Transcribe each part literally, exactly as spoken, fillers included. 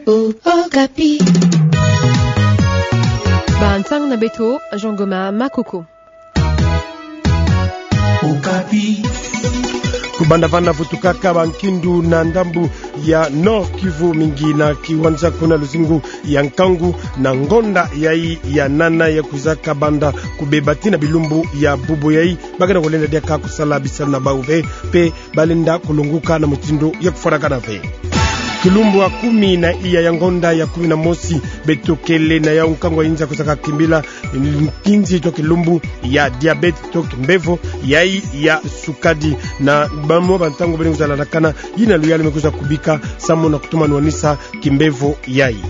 O-, Okapi. Ba nsang na beto, Jean Goma Makoko. Okapi. Kubanda vana vutukaka bankindu na ndambu ya Nord-Kivu mingi na kiwanja kuna luzingu ya nkangu na ngonda yayi ya nana ya kwizaka banda kubeba tii na bilumbu ya bubu yayi, bakena kolenda diaka kusala bisalu na bau ve, mpe balenda kulonguka na mutindu ya kufwanakana ve. Kilumbu ya kumi na iya ya ngonda ya kumi na mosi, beto kele na yau nkangu ya inza kwizaka kimbila nkinzi to kilumbu ya diabète to kimbevo yayi ya sukadi. Na bamwa bantangu bene kwiza landakana, yina luyalu me kwiza kubika samu na kutuma nwanisa kimbevo yayi.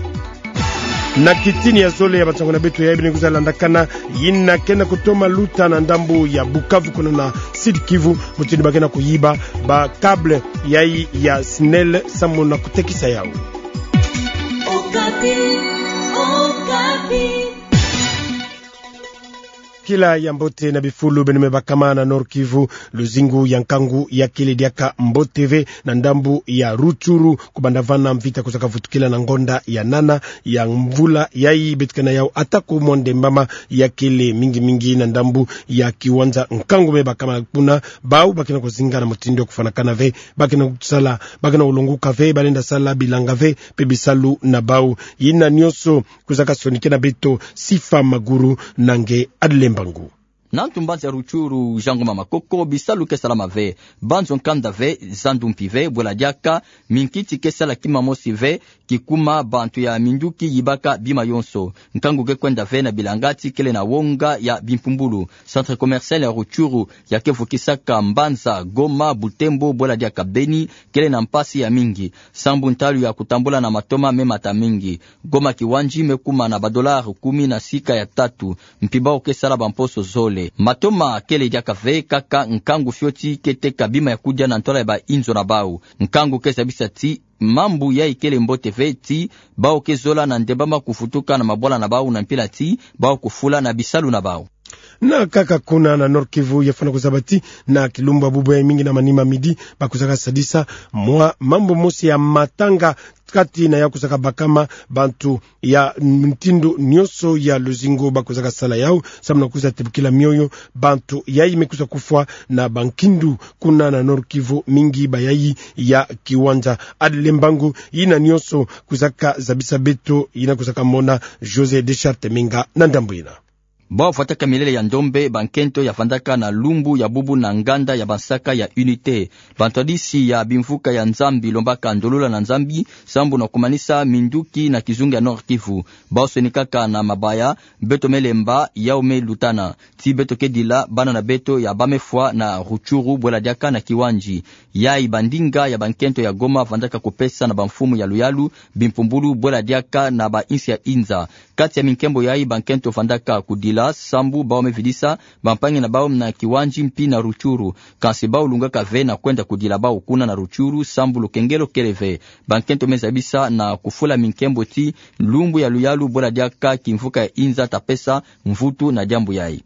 Na kitini ya zole ya bansangu na beto yayi bene kwiza landakana, yina kena kutoma luta na ndambu ya Bukavu kuna na Sud-Kivu, mutindu bakena kuyiba ba câble yayi ya SNEL samu na kutekisa yau. Okapi, Okapi. Kila ya mbote na bifulu bene me bakama na Nord-Kivu, luzingu ya nkangu ya kele diaka mbote ve na ndambu ya Rutshuru, kubanda vana mvita kwizaka vutukila na ngonda ya nana ya mvula yayi, beto kena yau ata ku monde mama ya kele mingi mingi na ndambu ya kiwanja nkangu me bakama kuna, bau bakena kuzinga na mutindu ya kufwanakana ve, bakena kusala, bakena kulonguka ve, balenda sala bilanga ve, mpe bisalu na bau. Yina nionso kwizaka sonikena beto Sifa Maguru na nge Adlembangu. Na ntu mbanza ya Rutshuru, Jean Goma Makoko, bisalu ke salama ve. Banzo nkanda ve, zandu mpi ve, bwela diaka minkiti ke sala kima mosi ve, kikuma bantu ya minduki yibaka bima yonso. Nkangu ke kwenda ve na bilanga ti kele na wonga ya bimpumbulu. Centre commercial ya Rutshuru, ya ke vukisaka mbanza Goma, Butembo, bwela diaka Beni, kele na mpasi ya mingi, sambu ntalu ya kutambula na matoma me mata mingi. Goma Kiwandji me kuma na ba dollars kumi na sika ya tatu, mpi bau ke sala bamposo zole. Matoma kele diaka ve, kaka nkangu fioti ke teka bima ya kudia na ntwala ya bainzo na bau. Nkangu ke zabisa ti mambu yayi kele mbote ve, ti bau ke zola na ndembama kuvutuka na mabwala na bau na mpila ti bau kufula na bisalu na bau. Na kaka kuna na Nord-Kivu, ya fwana kuzaba ti na kilumbu ya bubu yayi mingi na manima midi, bakwizaka sadisa mwa mambu mosi ya matanga kati na ya kwizaka bakama, bantu ya mutindu nionso ya luzingu bakwizaka sala yau samu na kwiza tebukila mioyo bantu yayi me kwiza kufwa na bankindu kuna na Nord-Kivu, mingi bayayi ya kiwanja. Adlembangu, yina nionso kwizaka zabisa beto, yina kwizaka mona José Deschartes Menga na ndambu yina. Bau vwataka milele ya ndombe bankento ya vandaka na lumbu ya bubu na nganda ya bansaka ya Unité. Bantwadisi ya bimvuka ya Nzambi lombaka ndolula na Nzambi sambu na kumanisa minduki na kizunga ya Nord-Kivu. Bau sonikaka na mabaya, beto me lemba, yau me lutana. Ti beto ke dila bana na beto ya bau me fwa na Rutshuru, bwela diaka na Kiwandji. Yayi bandinga ya bankento ya Goma vandaka kupesa na bamfumu ya luyalu bimpumbulu, bwela diaka na bainsi ya inza. Kati ya minkembo yayi bankento vandaka kudila, sambu bau me vidisa bampangi na bau na Kiwandji mpi na Rutshuru. Kansi bau lungaka ve na kwenda kudila bau kuna na Rutshuru sambu lukengelo kele ve. Bankento me zabisa na kufula minkembo ti lumbu ya luyalu, bwela diaka kimvuka ya inza ta pesa mvutu na diambu yayi.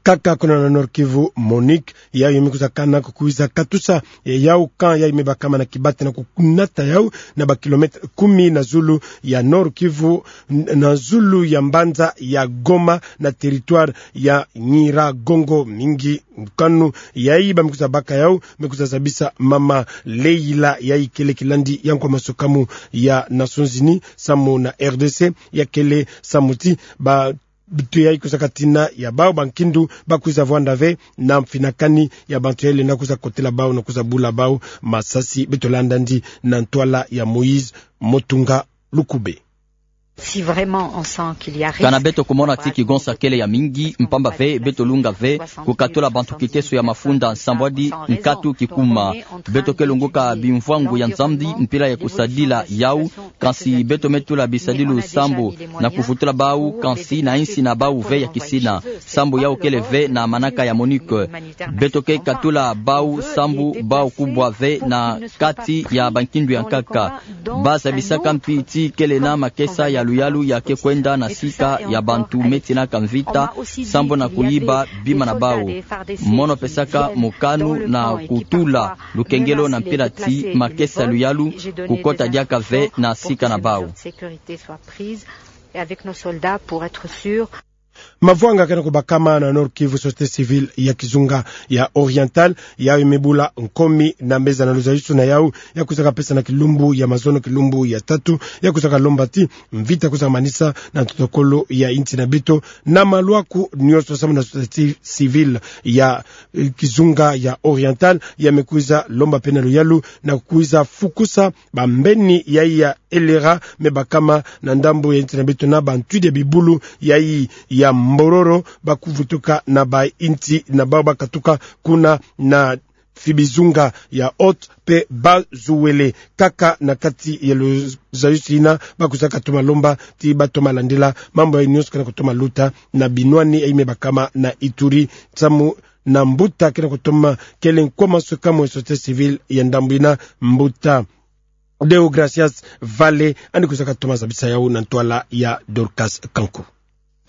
Kaka kuna na Nord-Kivu, Monique, yayo me kwiza kana kukwiza katusa ya yau camp yayi me bakama na Kibati na kukunata yau na ba kilomètre kumi na zulu ya Nord-Kivu, n-, na zulu ya mbanza ya Goma, na territoire ya Nyiragongo. Mingi nkanu yayi ba me kwiza baka yau, me kwiza zabisa mama Leila, yayi kele kilandi ya nkwa masukamu ya Nations Unies samu na R D C, ya kele samu ti ba bantu yayi kwizaka tina ya bau bankindu bakwiza vwanda ve na mfinakani ya bantu yayi lenda kwiza kotela bau na kwiza bula bau masasi. Beto landa ndi na ntwala ya Moïse Motunga Lukube. Si vraiment on sent qu'il y a risque, kana beto kumona ti kigonsa kele ya mingi, mpamba ve beto lunga ve kukatula bantu kiteso ya mafunda nsambwadi nkatu kikuma. Beto ke lunguka bimvwangu ya Nzambi mpila ya kusadila yau, kansi beto me tula bisadilu sambu na kuvutula bau, kansi na insi na bau ve ya kisina. Sambu yau kele ve na manaka ya MONUC. Beto ke katula bau sambu bau kubwa ve na kati ya bankindu ya nkaka. Ba zabisaka mpi ti kele na makesa ya luyalu ya ke kwenda na sika ya bantu me tinaka mvita, sambu na kuyiba bima na bau. Mono pesaka mokanu na kutula lukengelo na mpila ti makesa ya luyalu kukota diaka ve na sika na bau. Mavwanga kena kubakama na Nord-Kivu, société civile ya kizunga ya Oriental, yau imebula nkomi na meza na luzayusu na yau, ya kwizaka pesa na kilumbu ya mazono, kilumbu ya tatu, ya kwizaka lomba ti mvita kwizaka manisa na ntotokolo ya inti na beto, na maluaku nioso sambu na société civile ya, eh, kizunga ya Oriental, ya mekwiza lomba pe na luyalu na kwiza fukusa bambeni yayi ya L R A me bakama na ndambu ya inti na beto na bantwidi ya bibulu yayi ya Mbororo, bakuvutuka na bainti na bau bakatuka kuna na Fibizunga ya Haut pe Bas-Uele. Kaka na kati ya luzayusu yina, bakwizaka toma lomba ti batoma landila mambu yayi nioso kena kutoma luta na binwani yayi me bakama na Ituri, samu na mbuta kena kutoma kele nkwa masukamu ya société civile ya ndambu yina, mbuta Deogracias Vale, yandi kwizaka toma zabisa yau na ntwala ya Dorcas Kanku.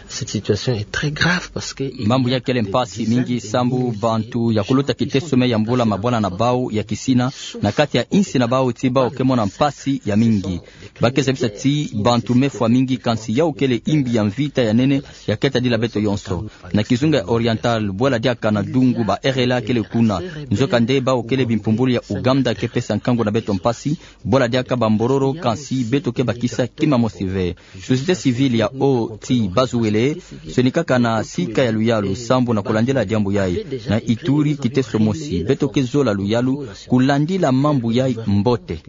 Cette situation est très grave parce que il y a des dizaines de milliers de... Mambu ya kele mpasi mingi sambu bantu ya kuluta kiteso me yambula mabwana na bau ya kisina na kati ya insi na bau ti bau ke mona mpasi ya mingi. Ba ke zabisa ti bantu mefwa mingi, kansi yau kele imbi ya mvita ya nene ya ke tadila beto yonso. Na kizunga ya Oriental, bwala diaka na dungu ba R L A kele kuna. Nzokande bau kele bimpumbulu ya Uganda ke pesa nkangu na beto mpasi, bwala diaka ba Mbororo, kansi beto ke bakisa kima mosi ve. Société civile ya Haut ti Bas-Uele, sonikaka na sika ya luyalu sambu na kulandila diambu yayi. Na Ituri kiteso mosi, beto ke zola luyalu kulandila mambu yayi mbote.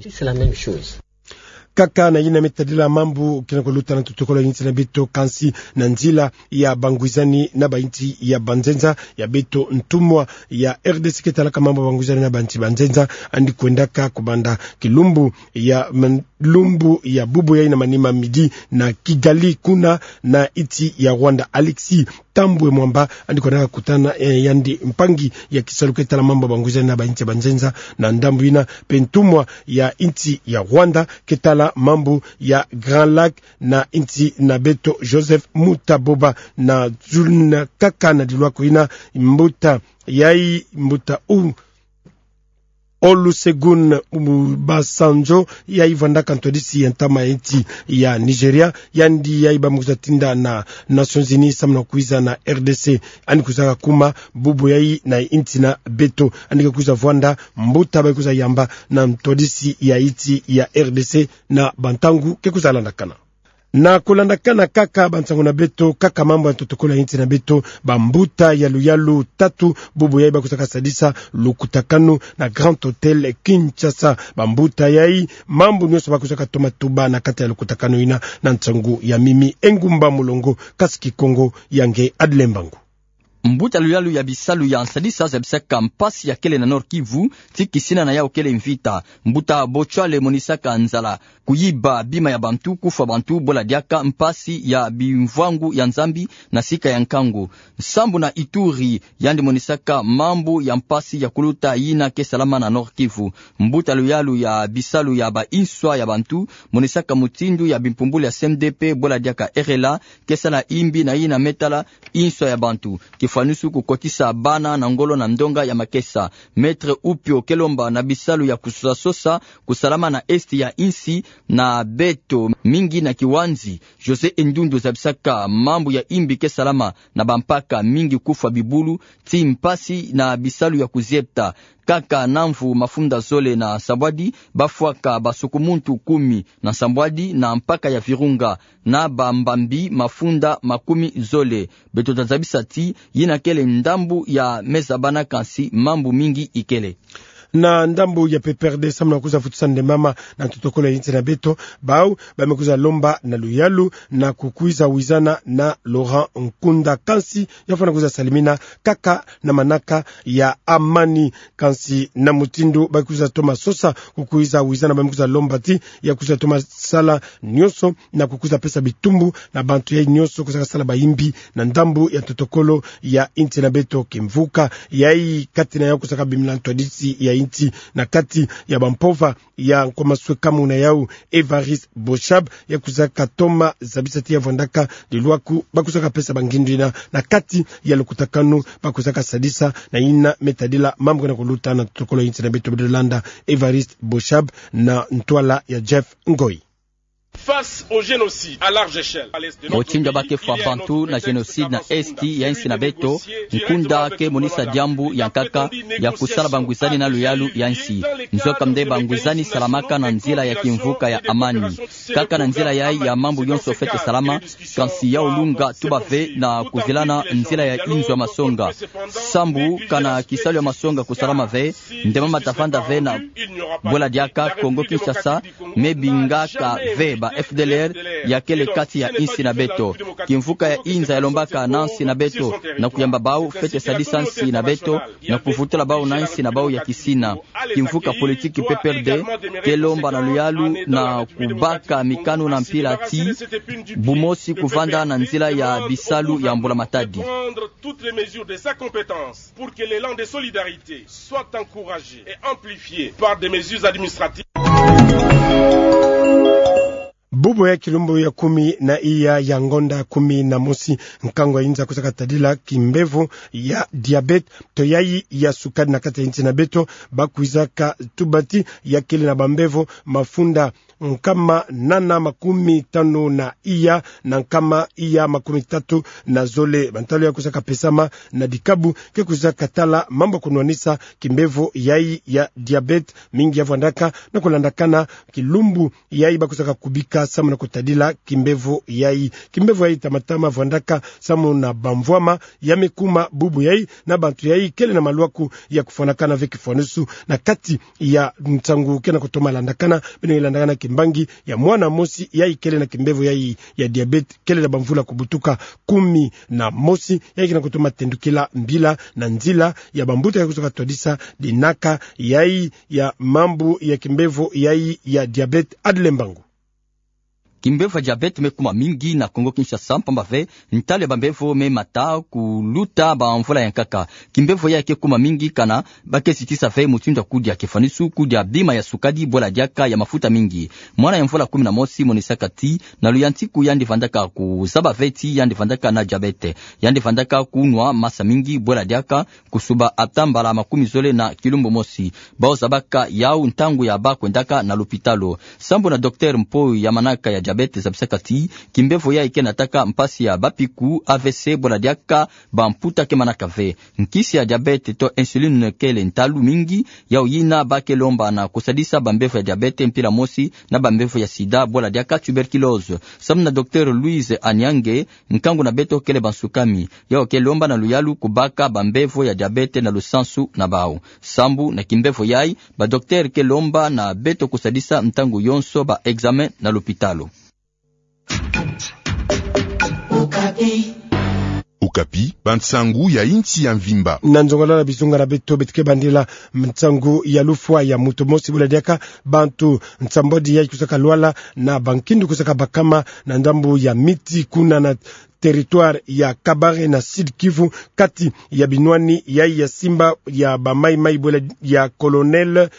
Kaka na yina me tadila mambu kena kuluta na ntotokolo ya inti na beto, kansi na nzila ya bangwizani na bainti ya banzenza, ya beto ntumwa ya R D C ke talaka mambu ya bangwizani na bainti banzenza, yandi kwendaka kubanda kilumbu ya man-, lumbu ya bubu yayi na manima midi na Kigali, kuna na inti ya Rwanda. Alexis Thambwe Mwamba, yandi kwendaka kutana, eh, yandi mpangi ya kisalu ke tala mambu ya bangwizani na bainti ya banzenza na ndambu yina, pe ntumwa ya inti ya Rwanda ke tala mambu ya Grand Lac na inti na beto, Joseph Mutaboba, na zul-, na kaka na diluaku yina, mbuta yayi, mbuta U-, Olusegun Obasanjo, yayi vwandaka ntwadisi ya ntama ya inti ya Nigeria, yandi yayi ba me kwiza tinda na Nations Unies samu na kwiza na R D C. Yandi kwizaka kuma bubu yayi na inti na beto. Yandi ke kwiza vwanda mbuta ba kwiza yamba na ntwadisi ya inti ya R D C na bantangu ke kwiza landakana. Na kulandakana kaka bansangu na beto, kaka mambu ya ntotokolo ya inti na beto, bambuta ya luyalu tatu bubu yayi ba kwizaka sadisa lukutakanu na Grand Hôtel Kinshasa. Bambuta yayi, mambu nionso ba kwizaka toma tuba na kati ya lukutakanu yina na nsangu ya mimi. Engumba Mulongo, kasi Kikongo ya nge Adle Mbangu. Mbuta luyalu ya bisalu ya nsadisa zabisaka mpasi ya kele na Nord-Kivu, ti kisina na yau kele mvita. Mbuta Bochwale monisaka nzala, kuyiba bima ya bantu, kufwa bantu, bwala diaka mpasi ya bimvwangu ya Nzambi na sika ya nkangu. Sambu na Ituri, yandi monisaka mambu ya mpasi ya kuluta yina ke salama na Nord-Kivu. Mbuta luyalu ya bisalu ya ba inswa ya bantu monisaka mutindu ya bimpumbulu ya C N D P bwala diaka R L A ke sala imbi na yina me tala inswa ya bantu, kifwanusu kukotisa bana na ngolo na ndonga ya makesa. Maître Upio ke lomba na bisalu ya kusosasosa kusalama na Est ya insi na beto mingi na kiwanzi. José Endundu zabisaka mambu ya imbi ke salama na bampaka mingi kufwa bibulu, ti mpasi na bisalu ya kuzieta. Kaka na mvu mafunda zole na nsambwadi, bafwaka basukumuntu kumi na nsambwadi na mpaka ya Virunga, na bambambi mafunda makumi zole. Beto tazabisa ti yina kele ndambu ya me zabana, kansi mambu mingi ikele. Na ndambu ya P P R D, samu na kwiza futusa ndembama na ntotokolo ya insi na beto, bau ba me kwiza lomba na luyalu na kukwiza wizana na Laurent Nkunda. Kansi ya fwana kwiza salimina kaka na manaka ya amani. Kansi na mutindu ba kwiza toma sosa, kukwiza wizana, ba me kwiza lomba ti ya kwiza toma sala nionso na kukwiza pesa bitumbu na bantu yai nionso kwiza kasala bayimbi na ndambu ya ntotokolo ya insi na beto. Kimvuka yai, kati na yau kwiza kabimina ntwadisi ya insi na kati ya bampova ya nkwa maswekamu na yau, Évariste Boshab, ya kwiza katoma zabisa ti ya vwandaka lilwaku ba kwiza kapesa bangindu ina na kati ya lukutakanu ba kwiza kasadisa na ina me tadila mambu ke na kuluta na ntotokolo ya insi na beto. Beto landa Évariste Boshab na ntwala ya Jeff Ngoi. Face au génocide à large échelle. Mutindu ba ke fwa bantu na génocide na esti ya insi na beto, Nkunda ke monisa diambu ya nkaka ya kusala bangwizani na luyalu ya insi. Nzokande bangwizani salamaka na nzila ya kimvuka ya amani. Kaka na nzila yai ya mambu yonso fwete salama, kansi ya ulunga tuba ve na kuvilana nzila ya inzo ya masonga. Sambu kana kisalu ya masonga kusalama ve, ndembama tavanda ve na bwela diaka Kongo Kinshasa, me bingaka ve ba F D L R ya kele kati ya insi na beto. Kimvuka ya inza ya lombaka na nsi na beto na kuyamba bau fwete sadisa nsi na beto na kuvutula bau na nsi na bau ya kisina. Kimvuka politiki P P R D ke lomba na luyalu na kubaka mikanu na mpila ti bumosi kuvanda na nzila ya bisalu ya mbula-matadi. Toutes les mesures de sa compétence pour que l'élan de solidarité soit encouragé et amplifié par des mesures administratives. Bubu ya kilumbu ya kumi na iya ya ngonda kumi na mosi, nkangu ya inza kwiza katadila kimbevo ya diabète to yai ya sukari na kati ya insi na beto, ba kwiza katuba ti ya kele na bambevo mafunda nkama nana makumi tanu na iya na nkama iya makumi tatu na zole. Bantalu ya kwiza kapesama na dikabu ke kwiza katala mambu ya kunwanisa kimbevo yai ya diabète, mingi ya vwandaka na kulandakana kilumbu yai ba kwiza kakubika samu na kutadila kimbevo yai. Kimbevo yai tamatama vwandaka samu na bamvwama ya me kuma bubu yai na bantu yai kele na malwaku ya kufwanakana ve kifwanusu na kati ya nsangu ke na kutoma landakana, beno landakana kimbangi ya mwana mosi yai kele na kimbevo yai ya diabète, kele na bamvula kubutuka kumi na mosi, yai ke na kutoma tendukila mbila na nzila ya bambuta ya kwiza katwadisa dinaka yai ya mambu ya kimbevo yai ya diabète. Adle Mbangu. Kimbevo ya diabète me kuma mingi na Kongo Kinshasa, mpamba ve ntalu ya bambevo me mata kuluta bamvula ya nkaka. Kimbevo yai ke kuma mingi kana ba ke sitisa ve mutindu ya kudia kifwanusu, kudia bima ya sukari, bwela diaka ya mafuta mingi. Mwana ya mvula kumi na mosi monisaka ti na luyantiku yandi vandaka kuzaba ve ti yandi vandaka na diabète. Yandi vandaka kunwa masa mingi, bwela diaka kusuba ata mbala makumi zole na kilumbu mosi. Bau zabaka yau ntangu ya ba kwendaka na lupitalu. Sambu na docteur mpo ya manaka ya diabète zabisaka ti kimbevo yai ke nataka mpasi ya bapiku, A V C, bwela diaka bamputa ke manaka ve. Nkisi ya diabète to insuline kele ntalu mingi, yau yina ba ke lomba na kusadisa bambevo ya diabète mpila mosi na bambevo ya sida, bwela diaka tuberculose. Sambu na docteur Louise Anyange, nkangu na beto kele bansukami, yau ke lomba na luyalu kubaka bambevo ya diabète na lusansu na bau. Sambu na kimbevo yai, ba docteur ke lomba na beto kusadisa ntangu yonso ba examen na lupitalu. Okapi, bansangu ya insi ya mvimba. Na nzongolo na bizunga na beto, beto ke bandila nsangu ya lufwa ya moto mosi, bwela diaka bantu nsambwadi yai kwiza kalwala na bankindu kwiza kabakama na ndambu ya Miti, kuna na territoire ya Kabare na Sud-Kivu, kati ya binwani yai ya simba ya ba Mai-Mai, bwela ya Colonel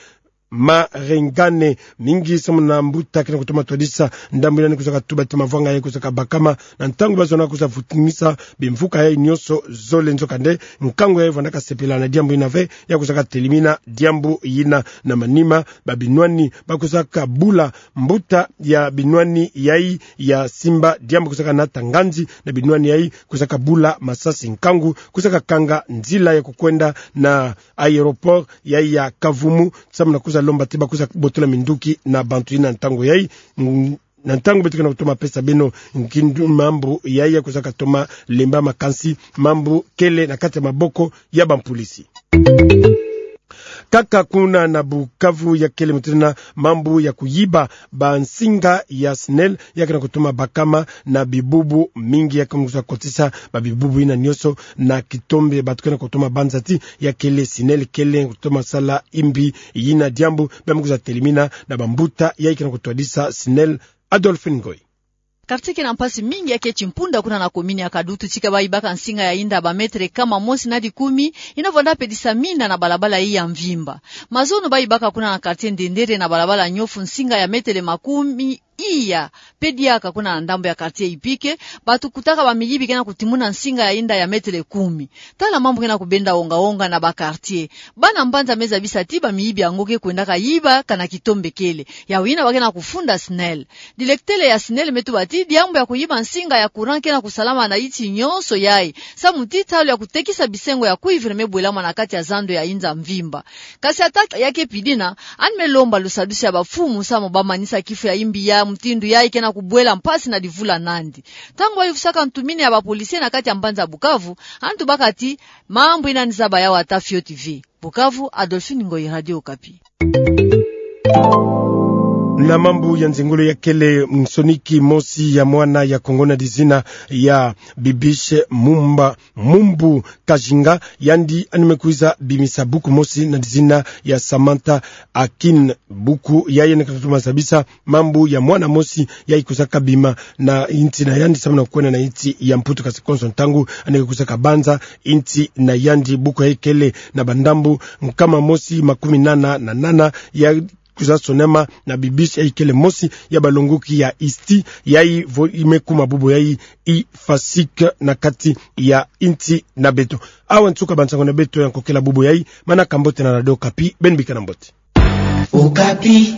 Marengane. Mingi samu na mbuta ke na kutoma twadisa ndambu yina, ni kwiza katuba ti mavwanga yai kwiza kabakama na ntangu ba zona kwiza vutunisa bimvuka yai nionso zole. Nzokande, nkangu yai vwandaka sepela na diambu yina ve, ya kwiza katelimina diambu yina. Na manima, ba binwani ba kwiza kabula mbuta ya binwani yai ya simba, diambu kwiza kanata nganzi na binwani yai, kwiza kabula masasi. Nkangu kwiza kakanga nzila ya kukwenda na aéroport yai ya Kavumu, samu na kwiza lomba ti ba kwiza botola minduki na bantu yina ntangu yai. Mm, na ntangu beto ke na kutoma pesa beno nkindu, mambu yai ya kwiza katoma lemba, makansi mambu kele na kati ya maboko ya bampulisi. Kaka kuna na Bukavu, ya kele mutindu na mambu ya kuyiba bansinga ya SNEL, ya ke na kutuma bakama na bibubu mingi, ya ke na kwiza kotisa babibubu yina nyonso na kitombe. Bato ke na kutuma banza ti ya kele SNEL kele kutuma sala imbi yina diambu, bia me kwiza telimina na bambuta yayi ke na kutwadisa SNEL. Adolphine Ngoy. Quartier ke na mpasi mingi ya ke Chimpunda kuna na commune ya Kadutu, tika bayibaka nsinga ya inda ba mètre kama mosi na dikumi, yina vwanda pedisa mina na balabala yayi ya mvimba. Mazono bayibaka kuna na quartier Ndendere na balabala Nyofu nsinga ya mètre makumi iya. Pe diaka kuna na ndambu ya quartier Ipike, bato kutaka bamiyibi ke na kutimuna nsinga ya inda ya mètre kumi. Tala mambu ke na kubenda onga-onga na ba quartier. Bana mbanza me zabisa ti bamiyibi yango ke kwendaka yiba kana kitombe kele. Yawu yina ba ke na kufunda SNEL. Directeur ya SNEL me tuba ti diambu ya kuyiba nsinga ya courant ke na kusalama na yinsi nyonso yayi, samu ti ntalu ya kutekisa bisengo ya cuivre me bwelama na kati ya zando ya inza mvimba. Kasi ata ya ke pidina, yandi me lomba lusadusu ya bamfumu samu ba manisa kifu ya imbi ya mutindu yayi ke na kubwela mpasi na divula nandi. Ntangu ba yuvusaka ntumini ya ba policier na kati ya mbanza Bukavu, yandi tubaka ti mambu yina yandi zaba yawu ata fioti ve. Bukavu, Adolphine Ngoyi, Radio Okapi. Na mambu ya nzengolo, ya kele nsoniki mosi ya mwana ya Kongo na dizina ya Bibiche Mumba Mumbu Kajinga, yandi yandi me kwiza bimisa buku mosi na dizina ya Samantha Akin. Buku yayi yandi ke na kutuma zabisa mambu ya mwana mosi yayi kwizaka bima na yinsi na yandi samu na kwenda na yinsi ya Mputu, kasi konso ntangu yandi ke kwizaka banza yinsi na yandi. Buku yayi kele na bandambu nkama mosi makumi nana na nana, ya kwiza sonama na Bibiche, yayi kele mosi ya balongoki ya ISTI, yayi vo-, me kuma bubu yayi IFASIC na kati ya yinsi na beto. Awa nsuka bansango na beto ya nkokela bubu yayi, manaka mbote na Radio Okapi, beno bikana mbote. Okapi.